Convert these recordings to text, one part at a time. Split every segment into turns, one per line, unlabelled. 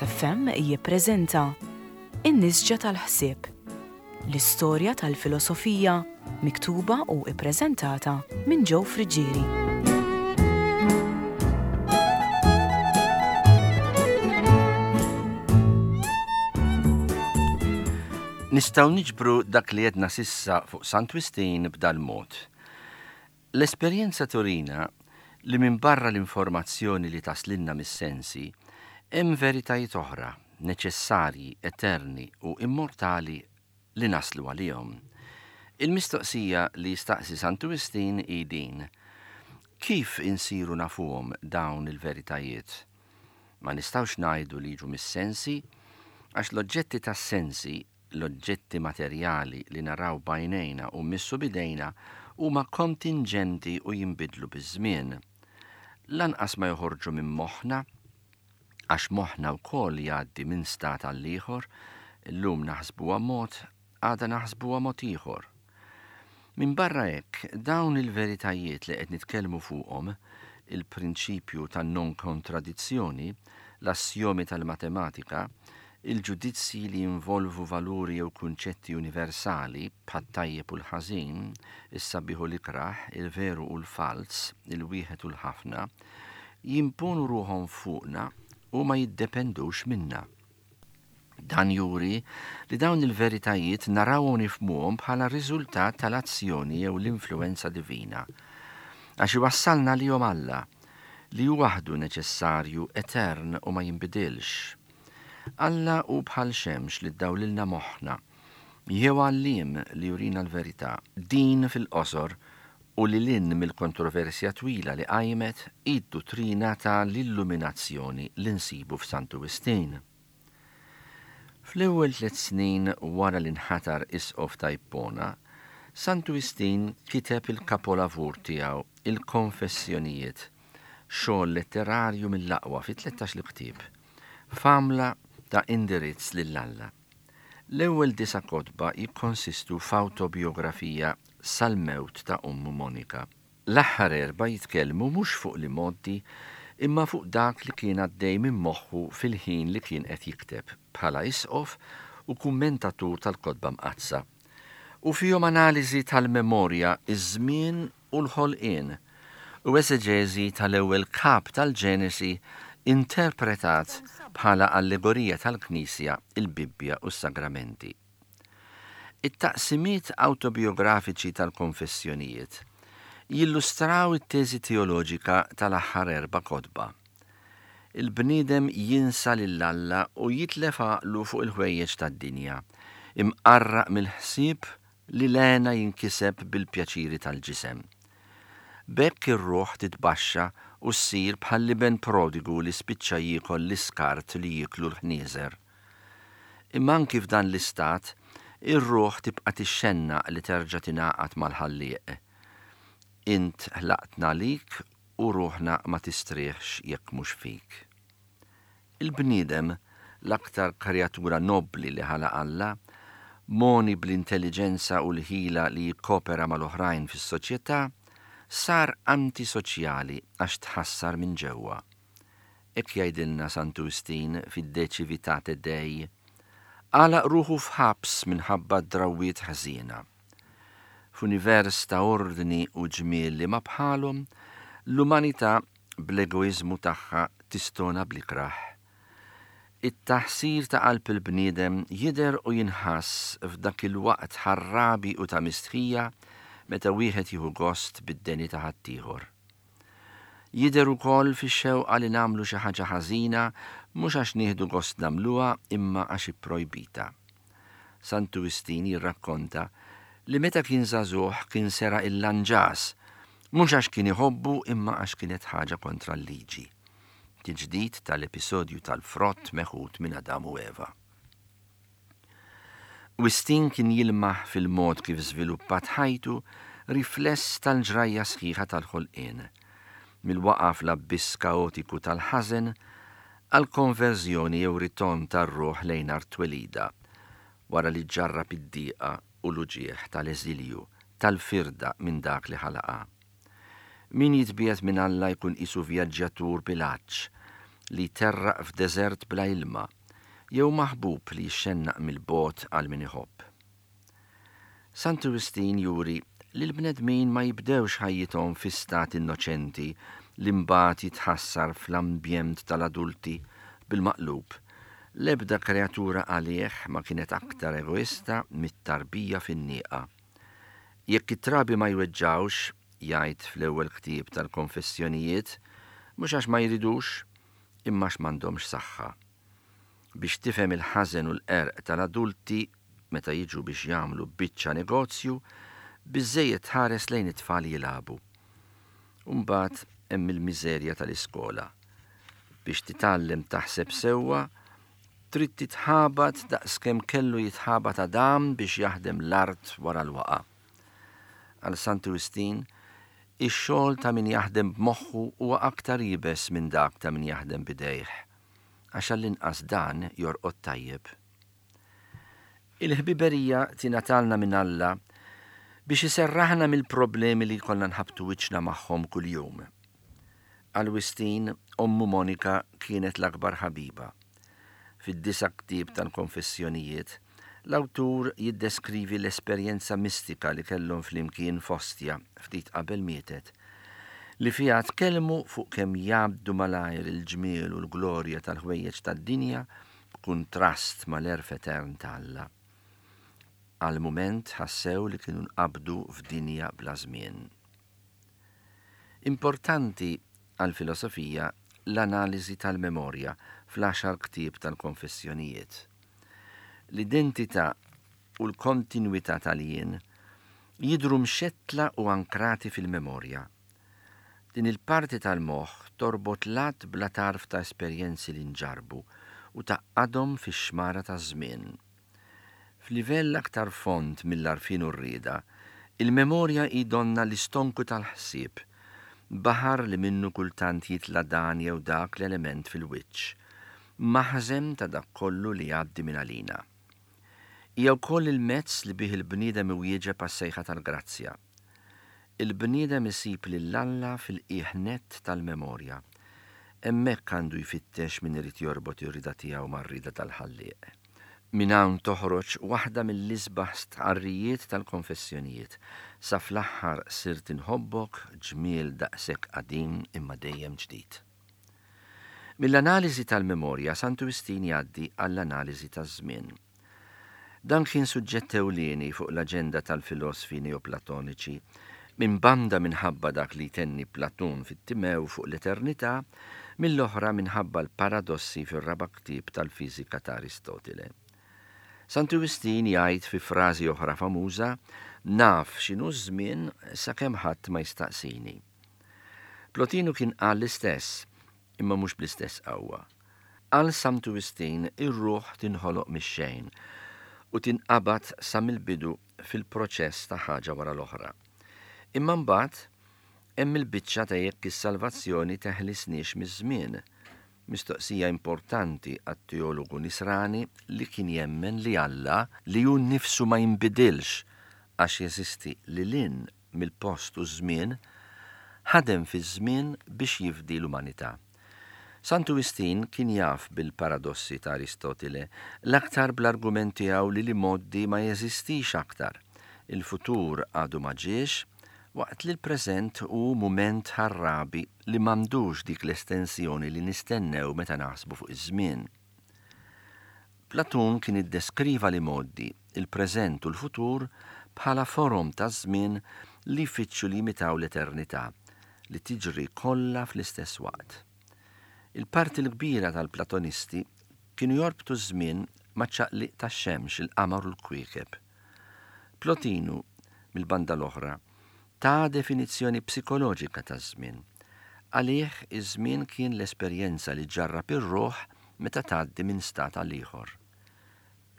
Veritas FM jippreżenta In-Nisġa tal-Ħsieb, l-istorja tal-filosofija miktuba u ppreżentata minn Joe Friggieri.
Nistgħu niġbru dak li għedna s'issa fuq Sant Wistin b'dal-mod. L-esperjenza turina li minbarra l-informazzjoni li taslilna mis-sensi, hemm veritajiet oħra, neċessarji, eterni u immortali li naslu għalihom. Il-mistoqsija li jistaqsi Santu Wistin hi din, Kif insiru nafuhom dawn il-veritajiet? Ma nistgħux ngħidu li jiġu mis-sensi, għax l-oġġetti tas-sensi L-oġġetti materjali li naraw b'għajnejna u mmissu b'idejna huma kontinġenti u jinbidlu biż-żmien. Lanqas ma joħorġu minn moħħna, għax moħħna wkoll jgħaddi minn stat għall-ieħor, illum naħsbuha mod, għada naħsbuha mod ieħor. Minbarra hekk, dawn il-veritajiet li qed nitkellmu fuqhom, il-prinċipju tan-nonkontradizzjoni, l-assjomi tal-matematika, il-ġudizzji li jinvolvu valuri jew kunċetti universali, bħat-tajjeb u l-ħażin, is-sabiħ u l-ikrah, il-veru u l-falz, il-wieħed u l-ħafna, jimponu ruħhom fuqna u ma jiddependux minna. Dan juri li dawn il-veritajiet narawhom u nifhmuhom bħala riżultat tal-azzjoni jew l-influwenza divina. Għax iwassalna għalihom Alla, li hu waħdu neċessarju, etern u ma jinbidilx. Alla hu bħal xemx li ddawlilna moħħna, jew għalliem li jurina l-verità. Din fil-qosor u lil hinn mill-kontroversja twila li qajmet hi d-duttrina ta' l-illuminazzjoni li nsibu f'Santu Wistin. Fl-ewwel tlett snin wara li nħatar Isqof ta' Ippona, Santu Wistin kiteb il-kapolavur tiegħu Il-Konfessjonijiet, xogħol letterarju mill-aqwa fi tlettax-il ktieb, f'għamla ta' indirizz lil Alla. L-ewwel disa' kotba jikkonsistu f'awtobijografija sal-mewt ta' ommu Monika. L-aħħar erbgħa jitkellmu mhux fuq l-imgħoddi imma fuq dak li kien għaddej minn moħħu fil-ħin li kien qed jikteb, bħala isqof u kummentatur tal-Kotba Mqaddsa. U fihom analiżi tal-memorja, iż-żmien u l-ħolqien, u eseġeżi tal-ewwel kap tal-Ġenesi interpretat bħala allegorija tal-Knisja, il-Bibbja u s-Sagramenti. It-taqsimiet awtobijografiċi tal-Konfessjonijiet jillustraw it-teżi teoloġika tal-aħħar erba' kotba. Il-bniedem jinsa lil Alla u jitlef għaqlu fuq il-ħwejjeġ tad-dinja, imqarraq mill-ħsieb li l-hena jinkiseb bil-pjaċiri tal-ġisem. B'hekk ir-ruħ titbaxxa u ssir bħall-iben prodigu li spiċċa jiekol l-iskart li jieklu l-ħnieżer. Imma anki f'dan l-istat, ir-ruħ tibqa' tixxennaq li terġa' tingħaqad mal-Ħallieq. Int ħlaqtna għalik u ruħna ma tistrieħx jekk mhux fik. Il-bniedem, l-aktar kreatura nobbli li ħalaq Alla, mogħni bl-intelliġenza u l-ħila li jikkopera mal-oħrajn fis-soċjetà, sar antisoċjali għax tħassar minn ġewwa. Hekk jgħidilna Santu Wistin fid-De Civitate Dei, Għalaq ruħu f'ħabs minħabba d-drawwiet ħżiena. F'univers ta' ordni u ġmiel li ma bħalhom, l-umanità bl-egoiżmu tagħha tistona bl-ikrah. It-taħsir ta' qalb il-bniedem jidher u jinħass f'dak il-waqt ħarrabi u ta' mistħija meta wieħed jieħu gost bid-deni ta' ħaddieħor. Jidher ukoll fix-xewqa li nagħmlu xi ħaġa ħażina mhux għax nieħdu gost nagħmluha imma għax ipprojbita. Santu Wistin jirrakkonta li meta kien żagħżugħ kien seraq il-lanġas, mhux għax kien iħobbu imma għax kienet ħaġa kontra l-liġi. Tiġdid tal-episodju tal-frott meħud minn Adam u Eva. Wistin kien jilmaħ fil-mod kif żviluppat ħajtu rifless tal-ġrajja sħiħa tal-ħolqien, mill-waqgħa fl-abbiss kaotiku tal-ħażen għall-konverżjoni jew ritorn tar-ruħ lejn art twelidha, wara li ġġarrab id-diqa u l-uġigħ tal-eżilju, tal-firda minn dak li ħalaqha. Min jitbiegħed minn Alla jkun qisu vjaġġjatur bil-għatx, li jterraq f'deżert bla ilma, jew maħbub li jixxennaq mill-bogħod għal min iħobb. Santu Wistin juri li l-bnedmin ma jibdewx ħajjithom fi stat innoċenti li mbagħad jitħassar fl-ambjent tal-adulti, bil-maqlub, l-ebda kreatura għalih ma kienet aktar egoista mit-tarbija fin-nieqa. Jekk it-trabi ma jweġġgħux, jgħid fl-ewwel ktieb tal-Konfessjonijiet, mhux għax ma jridux, imma għax m'għandhomx saħħa. Biex tifhem il-ħażen u l-qerq tal-adulti meta jiġu biex jagħmlu biċċa negozju, biżżejjed tħares lejn it-tfal jilagħbu. U mbagħad hemm il-miżerja tal-iskola. Biex titgħallem taħseb sewwa, trid titħabat daqskemm kellu jitħabat Adam biex jaħdem l-art wara l-waqgħa. Għal Santu Wistin, ix-xogħol ta' min jaħdem b'moħħu huwa aktar iebes minn dak ta' min jaħdem b'idejh, għax għall-inqas dan jorqod tajjeb. Il-ħbiberija tingħatalna minn Alla biex iserraħna mill-problemi li jkollna nħabbtu wiċċna magħhom kuljum. Għal Wistin, ommu Monika kienet l-akbar ħabiba. Fid-disa' ktieb tal-Konfessjonijiet, l-awtur jiddeskrivi l-esperjenza mistika li kellhom flimkien f'Ostia ftit qabel mietet, li fiha tkellmu fuq kemm jgħaddu malajr il-ġmiel u l-glorja tal-ħwejjeġ tad-dinja b'kuntrast mal-għerf etern ta' Alla. Għal mument ħassew li kienu nqabdu f'dinja bla żmien. Importanti għall-filosofija l-analiżi tal-memorja fl-għaxar ktieb tal-Konfessjonijiet. L-identità u l-kontinwità tal-jien jidhru mxettla u ankrati fil-memorja. Din il-parti tal-moħħ torbot l-għadd bla tarf ta' esperjenzi li nġarrbu u tgħaqqadhom fix-xmara taż-żmien. F'livell aktar fond mill-għarfien u r-rieda, il-memorja hi donnha l-istonku tal-ħsieb, baħar li minnu kultant jitla' dan jew dak l-element fil-wiċċ, maħżen ta' dak kollu li jgħaddi minn għalina. Hija wkoll il-mezz li bih il-bniedem iwieġeb għas-sejħa tal-grazzja. Il-bniedem isib lil Alla fil-qiegħ nett tal-memorja. Hemmhekk għandu jfittex min irid jorbot ir-rieda tiegħu mar-rieda tal-Ħallieq. Minn hawn toħroġ waħda mill-isbaħ stqarrijiet tal-Konfessjonijiet, Sa fl-aħħar sirt inħobbok, ġmiel daqshekk qadim imma dejjem ġdid. Mill-analiżi tal-memorja Santu Wistin jgħaddi għall-analiżi taż-żmien. Dan kien suġġett ewlieni fuq l-aġenda tal-filosfi Neoplatoniċi, minn banda minħabba dak li jtenni Platun fit-Timew fuq l-eternità, mill-oħra minħabba l-paradossi fir-raba' ktieb tal-Fiżika ta' Aristotile. Santu Wistin jgħid fi frażi oħra famuża, Naf x'inhu ż-żmien sakemm ħadd ma jistaqsini. Plotinu kien qal l-istess, imma mhux bl-istess qawwa. Għal Santu Wistin ir-ruħ tinħoloq mix-xejn u tinqabad sa mill-bidu fil-proċess ta' ħaġa wara l-oħra. Imma mbagħad hemm il-biċċa ta' jekk is-salvazzjoni teħlisniex miż-żmien, mistoqsija importanti għat-teologu Nisrani li kien jemmen li Alla, li hu nnifsu ma jinbidilx għax jeżisti lil hinn mill-post u ż-żmien, ħadem fiż-żmien biex jifdi l-umanità. Santu Wistin kien jaf bil-paradossi ta' Aristotile, l-aktar bl-argument tiegħu li l-imgħoddi ma jeżistix aktar, il-futur għadu ma ġiex, waqt li l-preżent hu mument ħarrabi li m'għandux dik l-estensjoni li nistennew meta naħsbu fuq iż-żmien. Platun kien iddeskriva l-imgħoddi, il-preżent u l-futur bħala forom taż-żmien li jfittxu li jimitaw l-eternità, li tiġri kollha fl-istess waqt. Il-parti l-kbira tal-Platonisti kienu jorbtu ż-żmien maċ-ċaqliq tax-xemx, il-qamar u l-kwiekeb. Plotinu, mill-banda l-oħra, ta definizzjoni psikoloġika taż-żmien. Għalih, iż-żmien kien l-esperjenza li ġġarrab ir-ruħ meta tgħaddi minn stat għal ieħor.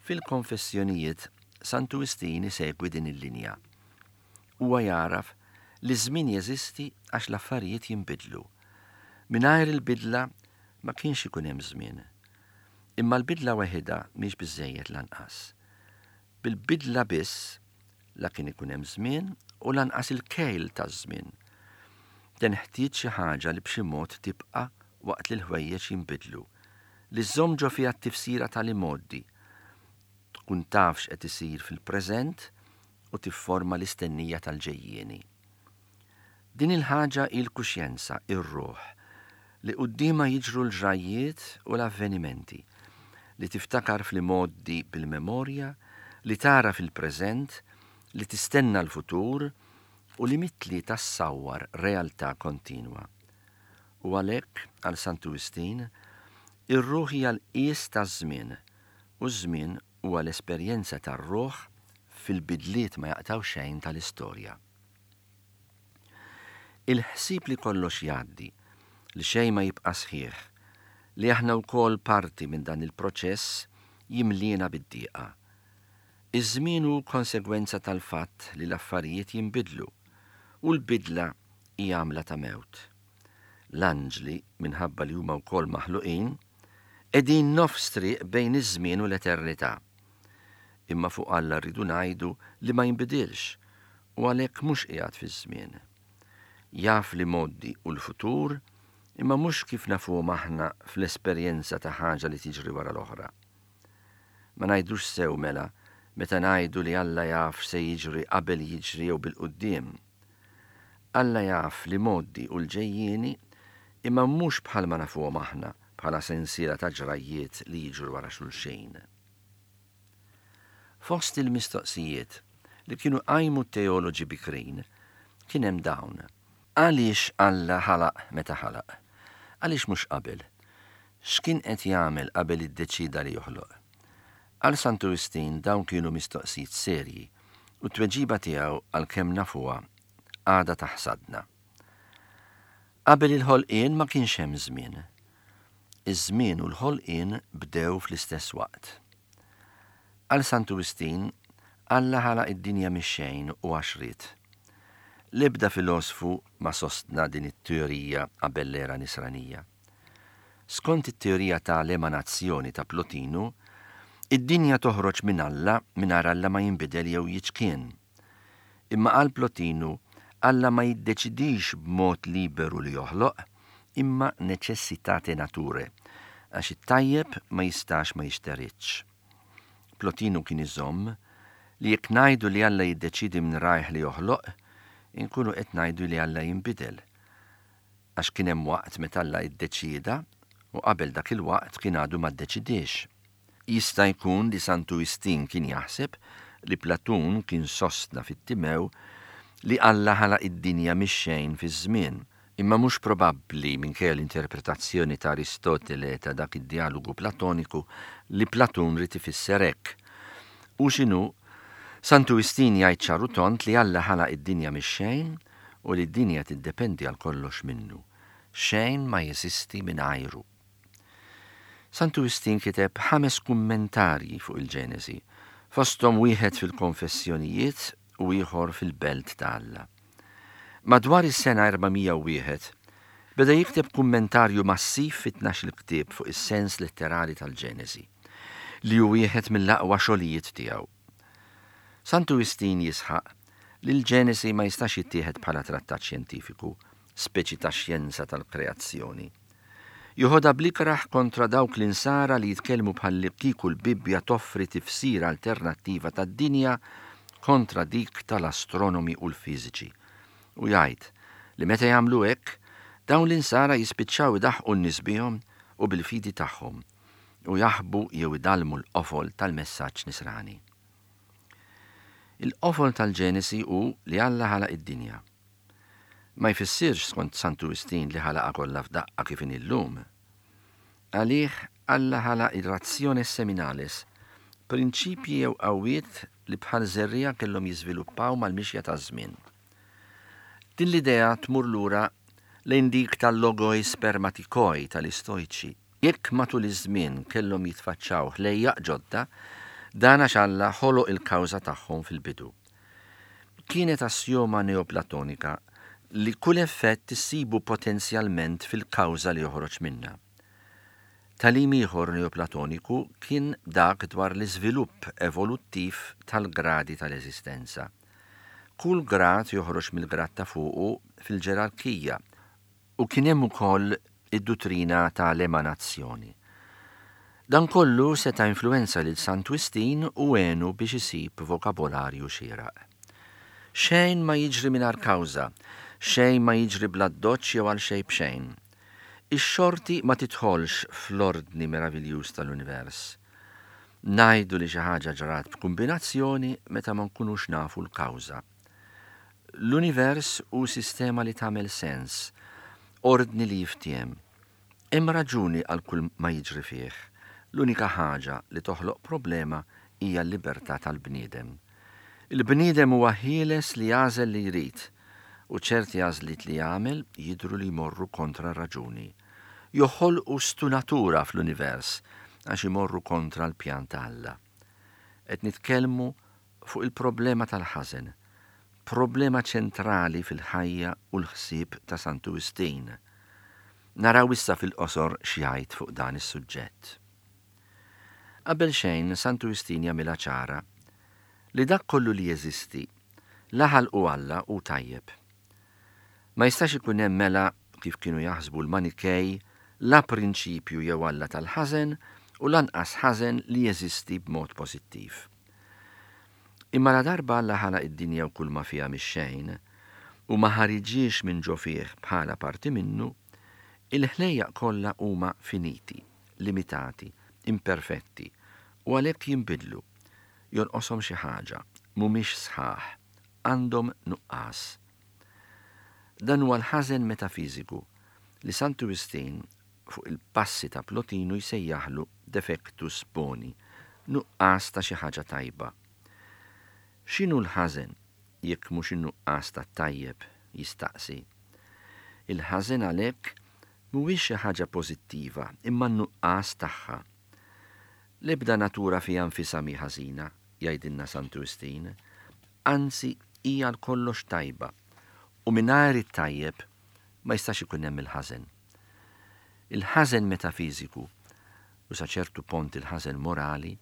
Fil-Konfessjonijiet, Santu Wistin isegwi din il-linja. Huwa jagħraf li ż-żmien jeżisti għax l-affarijiet jinbidlu. Mingħajr il-bidla ma kienx ikun hemm żmien. Imma l-bidla weħidha mhix biżżejjed lanqas. Bil-bidla biss La kien ikun hemm żmien u lanqas il-kejl taż-żmien. Tenħtieġ xi ħaġa li b'xi mod tibqa' waqt li l-ħwejjeġ jinbidlu, li żżomm ġo fiha t-tifsira tal-imgħoddi, tkun taf x'qed isir fil-preżent u tifforma l-istennija tal-ġejjieni. Din il-ħaġa hi l-kuxjenza, ir-ruħ, li quddiemha jiġru l-ġrajjiet u l-avvenimenti, li tiftakar fl-imgħoddi bil-memorja, li tagħraf il-preżent, li tistenna l-futur u li mit-tlieta ssawwar realtà kontinwa. U għalhekk, għal Santu Wistin, ir-ruħ hija l-qies taż-żmien u ż-żmien huwa l-esperjenza tar-ruħ fil-bidliet ma jaqtgħu xejn tal-istorja. Il-ħsieb li kollox jgħaddi, li xejn ma jibqa' sħiħ, li aħna wkoll parti minn dan il-proċess jimliena bid-dieqa. Iż-żmien hu konsegwenza tal-fatt li l-affarijiet jinbidlu, u l-bidla hi għamla ta' mewt. L-anġli, minħabba li huma wkoll maħluqin, qegħdin nofs triq bejn iż-żmien u l-eternità. Imma fuq Alla rridu ngħidu li ma jinbidilx u għalhekk mhux qiegħed fiż-żmien. Jaf l-imgħoddi u l-futur, imma mhux kif nafuhom aħna fl-esperjenza ta' ħaġa li tiġri wara l-oħra. Ma ngħidux sew mela meta ngħidu li Alla jaf x'se jiġri qabel jiġri jew bil-quddiem. Alla jaf l-imgħoddi u l-ġejjieni imma mhux bħalma nafuhom aħna bħala sensiela ta' ġrajjiet li jiġru wara xulxin. Fost il-mistoqsijiet li kienu qajmu t-teoloġi bikrin kien hemm dawn. Għaliex Alla ħalaq meta ħalaq? Għaliex mhux qabel? X'kien qed jagħmel qabel iddeċieda li joħloq? Għal Santu Wistin dawn kienu mistoqsijiet serji u t-tweġiba tiegħu għalkemm nafuha għadha taħsadna. Qabel il-ħolqien ma kienx hemm żmien. Iż-żmien u l-ħolqien bdew fl-istess waqt. Għal Santu Wistin, Alla ħalaq id-dinja mix-xejn u għax ried. L-ebda filosfu ma sostna din it-teorija qabel l-era Nisranija. Skont it-teorija ta' l-emanazzjoni ta' Plotinu, id-dinja toħroġ minn Alla mingħajr Alla ma jinbidel jew jiċkien. Imma għal Plotinu, Alla ma jiddeċidix b'mod liberu li joħloq, imma necessitate naturae, għax it-tajjeb ma jistax ma jixteridx. Plotinu kien iżomm li jekk ngħidu li Alla jiddeċiedi minn rajh li joħloq, inkunu qed ngħidu li Alla jinbidel. Għax kien hemm waqt meta Alla iddeċieda u qabel dak il-waqt kien għadu ma ddeċidiex. Jista' jkun li Santu Wistin kien jaħseb li Platun kien sostna fit-Timew li Alla ħalaq id-dinja mix-xejn fiż-żmien, imma mhux probabbli, minkejja l-interpretazzjoni ta' Aristotele ta' dak id-djalogu Platoniku, li Platun ried ifisser hekk. Hu x'inhu, Santu Wistin jgħid ċar u tond li Alla ħalaq id-dinja mix-xejn u li d-dinja tiddependi għal kollox minnu. Xejn ma jeżisti mingħajru. Santu Wistin kiteb ħames kummentarji fuq il-Ġenesi, fosthom wieħed fil-Konfessjonijiet u ieħor fil-Belt ta' Alla. Madwar is-sena 401, beda jikteb kummentarju massiv fi tnax-il ktieb fuq is-sens letterali tal-Ġenesi, li hu wieħed mill-aqwa xogħlijiet tiegħu. Santu Wistin jisħaq li l-Ġenesi ma jistax jittieħed bħala trattat xjentifiku, speċi ta' xjenza tal-kreazzjoni. Joħodha bl-ikrah kontra dawk l-Insara li jitkellmu bħallikieku l-Bibbja toffri tifsira alternattiva tad-dinja kontra dik tal-astronomi u l-fiżiċi. U jgħid li meta jagħmlu hekk, dawn l-Insara jispiċċaw idaħħqu n-nies bihom u bil-fidi tagħhom u jaħbu jew idallmu l-qofol tal-messaġġ Nisrani. Il-qofol tal-Ġenesi hu li Alla ħalaq id-dinja. Ma jfissirx skont Santu Wistin li ħalaqha kollha f'daqqa kif inhi llum. Għalih Alla ħalaq ir-rationes seminalis, prinċipji jew qawwiet li bħal żerriegħa kellhom jiżviluppaw mal-mixja taż-żmien. Din l-idea tmur lura lejn dik tal-logoi spermatikoi tal-Istojċi. Jekk matul iż-żmien kellhom jitfaċċaw ħlejjaq ġodda, dan għax Alla ħoloq il-kawża tagħhom fil-bidu. Kienet assjoma Neoplatonika li kull effett issibu potenzjalment fil-kawża li joħroġ minnha. Tagħlim ieħor Neoplatoniku kien dak dwar l-iżvilupp evoluttiv tal-gradi tal-eżistenza. Kull grad joħroġ mill-grad ta' fuqu fil-ġerarkija u kien hemm ukoll Id-duttrina ta' l-emanazzjoni. Dan kollu seta' influwenza lil Sant Wistin u għenu biex isib vokabolarju xieraq. Xejn ma jiġri mingħajr kawża, xejn ma jiġri bl-addoċċ jew għal xejn b'xejn. Ix-xorti ma tidħolx fl-ordni meraviljuż tal-univers. Ngħidu li xi ħaġa ġrat b'kumbinazzjoni meta ma nkunux nafu l-kawża. L-univers hu sistema li tagħmel sens, ordni li jiftiehem. Hemm raġuni għal kull ma jiġri fih. L-unika ħaġa li toħloq problema hija l-libertà tal-bniedem. Il-bniedem huwa ħieles li jagħżel li jrid, u ċerti għażliet li jagħmel jidhru li jmorru kontra r-raġuni. Joħolqu stunatura fl-univers għax imorru kontra l-pjan ta' Alla. Qed nitkellmu fuq il-problema tal-ħażen, problema ċentrali fil-ħajja u l-ħsieb ta' Santu Wistin. Naraw issa fil-qosor x'jgħid fuq dan is-suġġett. Qabel xejn, Santu Wistin jagħmilha ċara li dak kollu li jeżisti, la ħalqu Alla hu tajjeb. Ma jistax ikun hemm mela, kif kienu jaħsbu l-Manikej, la prinċipju jew alla tal-ħażen u lanqas ħażen li jeżisti b'mod pożittiv. Imma ladarba Alla ħalaq id-dinja u kulma fiha mix-xejn, u ma ħariġhiex minn ġo fih bħala parti minnu, il-ħlejjaq kollha huma finiti, limitati, imperfetti, u għalhekk jinbidlu, jonqoshom xi ħaġa, mhumiex sħaħ, għandhom nuqqas. Dan huwa l-ħażen metafiżiku li Santu Wistin fuq il-passi ta' Plotinu jsejjaħlu defectus boni, nuqqas ta' xi ħaġa tajba. X'inhu l-ħażen jekk mhux in-nuqqas tat-tajjeb? jistaqsi. Il-ħażen għalhekk mhuwiex xi ħaġa pożittiva imma n-nuqqas tagħha. L-ebda natura fiha nfisha mhi ħażina, jgħidilna Santu Wistin, anzi hi għal kollox tajba u mingħajr it-tajjeb ma jistax ikun hemm il-ħażen. Il-ħażen metafiżiku, u sa ċertu pont il-ħażen morali,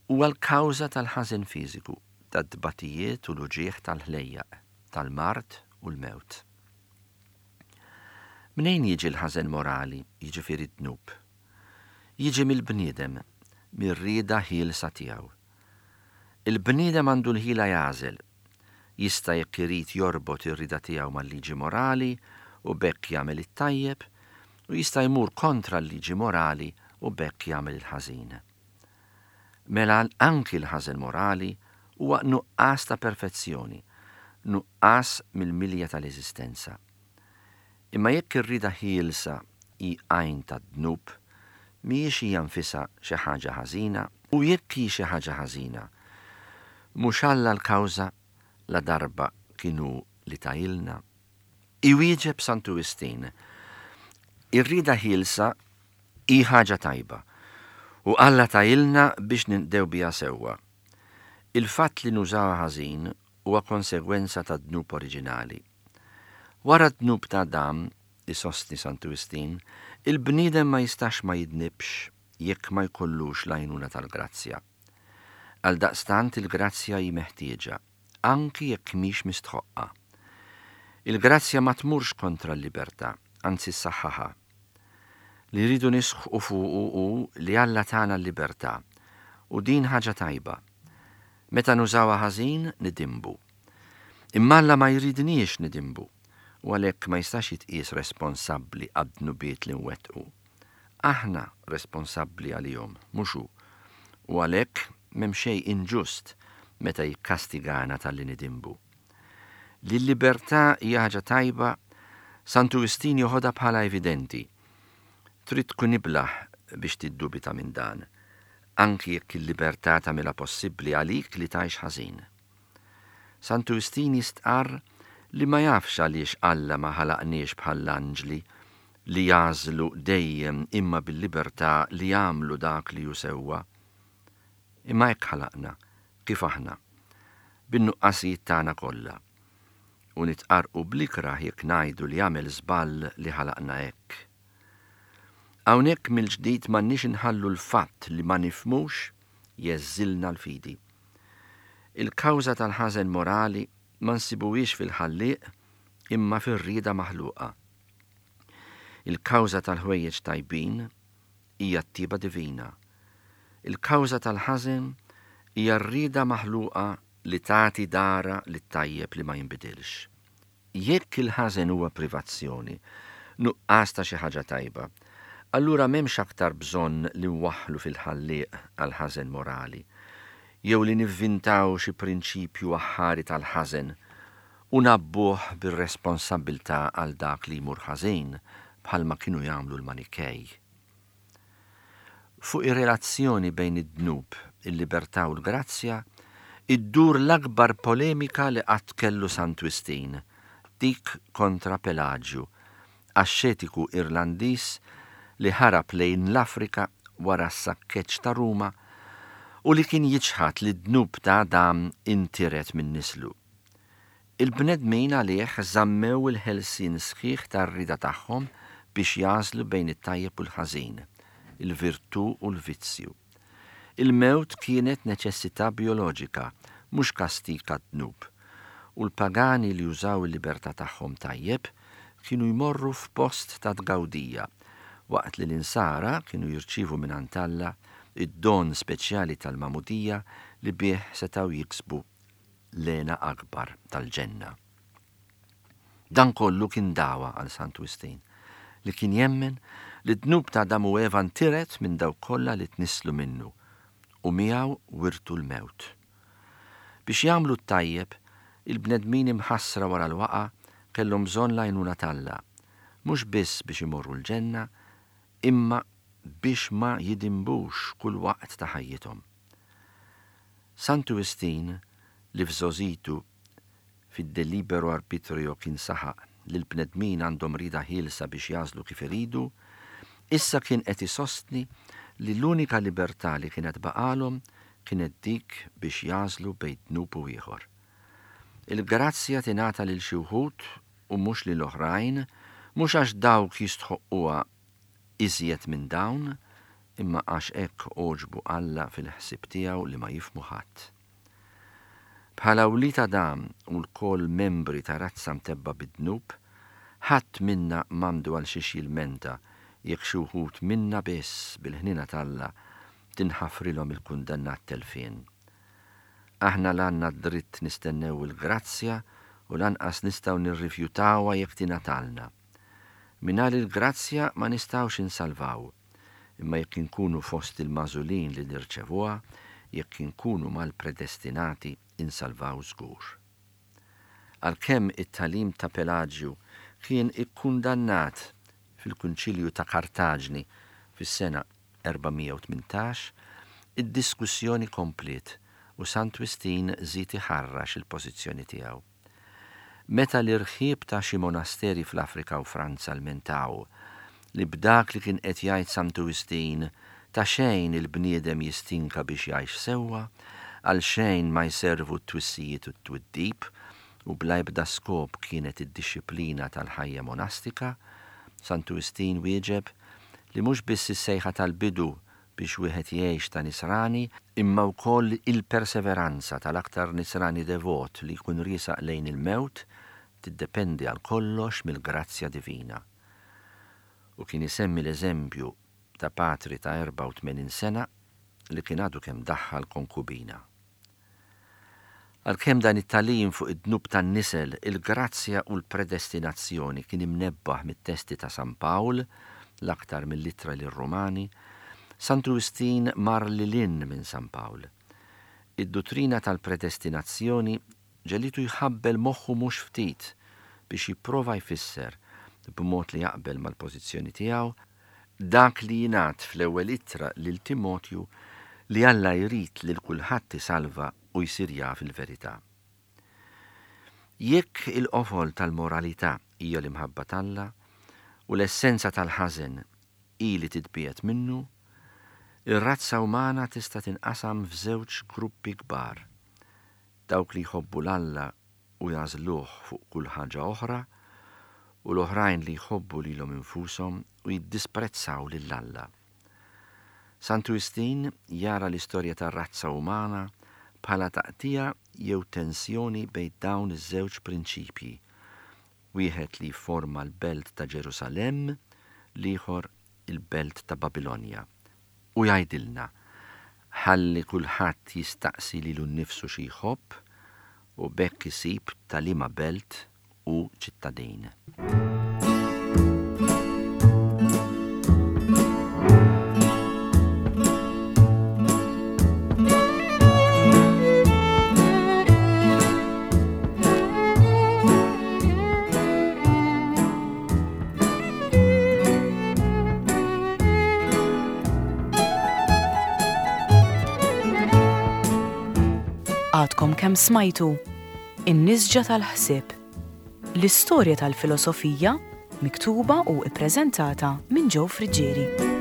huwa l-kawża tal-ħażen fiżiku, tat-tbatijiet u l-uġigħ tal-ħlejjaq, tal-mard u l-mewt. Mnejn jiġi l-ħażen morali, jiġifieri d-dnub? Jiġi mill-bniedem, mir-rieda ħielsa tiegħu. Il-bniedem għandu l-ħila jagħżel, Jista' jekk irid jorbot ir-rieda tiegħu mal-liġi morali u b'hekk jagħmel it-tajjeb, u jista' jmur kontra l-liġi morali u b'hekk jagħmel il-ħażin. Mela anki l-ħażen morali huwa nuqqas ta' perfezzjoni, nuqqas mill-milja tal-eżistenza. Imma jekk ir-rieda ħielsa hi għajn tad-dnub, mhijiex hija nfisha xi ħaġa ħażina? U jekk hi xi ħaġa ħażina, mhux Alla l-kawża ladarba kien hu li tahilna? Iwieġeb Santu Wistin, Ir-rieda ħielsa hi ħaġa tajba, u Alla tahilna biex ninqdew biha sewwa. Il-fatt li nużawha ħażin huwa konsegwenza tad-dnub oriġinali. Wara d-dnub ta' Adam, isostni Santu Wistin, il-bniedem ma jistax ma jidnibx jekk ma jkollux l-għajnuna tal-grazzja. Għaldaqstant il-grazzja hi meħtieġa, anki jekk mhix mistħoqqa. Il-grazzja ma tmurx kontra l-libertà, anzi ssaħħaħha. Li rridu nisħqu fuqu hu li Alla tana l-libertà, u din ħaġa tajba. Meta nużawha ħażin, nidinbu. Imma Alla ma jridniex nidinbu, u għalhekk ma jistax jitqies responsabbli għad-dnubiet li nwettqu. Aħna responsabbli għalihom, mhux hu, u għalhekk m'hemm xejn inġust meta jikkastigana talli nidinbu. Li l-libertà hija ħaġa tajba, Santu Wistin joħodha bħala evidenti. Trid tkun iblah biex tiddubita minn dan, anki jekk il-libertà tagħmilha possibbli għalik li tgħix ħażin. Santu Wistin jistqarr li ma jafx għaliex Alla ma ħalaqniex bħall-anġli li jagħżlu dejjem imma bil-libertà li jagħmlu dak li hu sewwa. Imma hekk ħalaqna, kif aħna, bin-nuqqasijiet tagħna kollha. U nitqarrqu bl-ikrah jekk ngħidu li għamel żball li ħalaqna hekk. Hawnhekk mill-ġdid m'għandniex inħallu l-fatt li ma nifhmux jgħeżżilna l-fidi. Il-kawża tal-ħażen morali ma nsibuhiex fil-Ħallieq imma fir-rieda maħluqa. Il-kawża tal-ħwejjeġ tajbin hija t-tjieba divina. Il-kawża tal-ħażen hija r-rieda maħluqa li tagħti dahra lit-tajjeb li ma jinbidilx. Jekk il-ħażen huwa privazzjoni, nuqqas ta' xi ħaġa tajba, allura m'hemmx aktar bżonn li nwaħħlu fil-Ħallieq għall-ħażen morali, jew li nivvintaw xi prinċipju aħħari tal-ħażen u ngħabbuh bir-responsabbiltà għal dak li jmur ħażin bħalma kienu jagħmlu l-Manikej. Fuq ir-relazzjoni bejn id-dnub, il-libertà u l-grazzja iddur l-akbar polemika li qatt kellu Sant Wistin, dik kontra Pelaġju, axxetiku Irlandiż li ħarab lejn l-Afrika wara s-sakkeġġ ta' Ruma u li kien jiċħad li d-dnub ta' Adam intiret minn nislu. Il-bnedmin għalih żammew il-ħelsien sħiħ tar-rieda tagħhom biex jagħżlu bejn it-tajjeb u l-ħażin, il-virtù u l-vizzju. Il-mewt kienet neċessità bijoloġika, mhux kastig għad-dnub, u l-pagani li użaw il-libertà tagħhom tajjeb kienu jmorru f'post ta' tgawdija, waqt li l-Insara kienu jirċievu mingħand Alla d-don speċjali tal-magħmudija li bih setgħu jiksbu l-hena akbar tal-ġenna. Dan kollu kien dagħwa għal Sant Wistin, li kien jemmen li d-dnub ta' Adam u Eva ntiret minn dawk kollha li tnisslu minnu u miegħu wirtu l-mewt. Biex jagħmlu t-tajjeb, il-bnedmin imħassra wara l-waqgħa kellhom bżonn l-għajnuna t'Alla, mhux biss biex imorru l-ġenna, imma biex ma jidinbux kull waqt ta' ħajjithom. Santu Wistin, li f'żgħożitu fid-De Libero Arbitrio kien saħaq li l-bnedmin għandhom rieda ħielsa biex jagħżlu kif iridu, issa kien qed isostni li l-unika libertà li kienet baqgħalhom kienet dik biex jagħżlu bejn dnub u ieħor. Il-grazzja tingħata lil xi wħud u mhux lil oħrajn, mhux għax dawk jistħoqquha iżjed minn dawn, imma għax hekk għoġbu Alla fil-ħsieb tiegħu li ma jifhmu ħadd. Bħala wlied Adam u lkoll membri ta' razza mtebbgħa bid-dnub, ħadd minna m'għandu għal xiex jilmenta jekk xi wħud minna biss, bil-ħniena t'Alla, tinħafrilhom il-kundanna għat-telfien. Aħna la għandna d-dritt nistennew il-grazzja u lanqas nistgħu nirrifjutawha jekk tingħatalna. Mingħajr il-grazzja ma nistgħux insalvaw, imma jekk inkunu fost il-magħżulin li nirċevuha, jekk inkunu mal-predestinati, insalvaw żgur. Għalkemm it-tagħlim ta' Pelaġju kien ikkundannat fil-Kunċilju ta' Kartaġni fis-sena 418, id-diskussjoni kompliet u Sant Wistin żied iħarrax il-pożizzjoni tiegħu. Meta l-irħieb ta' xi monasteri fl-Afrika u Franza lmentaw li b'dak li kien qed jgħid Santu Wistin ta' xejn il-bniedem jistinka biex jgħix sewwa, għal xejn ma jservu t-twissijiet u t-twiddib u bla ebda skop kienet id-dixxiplina tal-ħajja monastika, Santu Wistin wieġeb li mhux biss is-sejħa tal-bidu biex wieħed jgħix ta' Nisrani, imma wkoll il-perseveranza tal-aktar Nisrani devot li jkun riesaq lejn il-mewt tiddependi għal kollox mill-grazzja divina. U kien isemmi l-eżempju ta' patri ta' 84 sena li kien għadu kemm daħħal konkubina. Għalkemm dan it-tagħlim fuq id-dnub tan-nisel, il-grazzja u l-predestinazzjoni kien imnebbaħ mit-testi ta' San Pawl, l-aktar mill-Ittra lir-Rumani, Santu Wistin mar lil hinn minn San Pawl. Id-duttrina tal-predestinazzjoni ġegħlitu jħabbel moħħu mhux ftit biex jipprova jfisser, b'mod li jaqbel mal-pożizzjoni tiegħu, dak li jingħad fl-ewwel ittra lil Timotju li Alla jrid lil kulħadd isalva u jsir jaf il-verità. Jekk il-qofol tal-moralità hija l-imħabba t'Alla u l-essenza tal-ħażen hi li titbiegħed minnu, ir-razza umana tista' tinqasam f'żewġ gruppi kbar, dawk li jħobbu 'l Alla u jagħżluh fuq kull ħaġa oħra, u l-oħrajn li jħobbu lilhom infushom u jiddisprezzaw lil Alla. Santu Wistin jara l-istorja tar-razza umana bħala taqtigħa jew tensjoni bejn dawn iż-żewġ prinċipji, wieħed li jifforma l-belt ta' Ġerusalemm, l-ieħor il-belt ta' Babilonja. U jgħidilna, Ħalli kulħadd jistaqsi lilu nnifsu xi jħobb u b'hekk isib ta' liema belt hu ċittadin.
Għadkom kemm smajtu In-Nisġa tal-Ħsieb, l-istorja tal-filosofija miktuba u ppreżentata minn Joe Friggieri.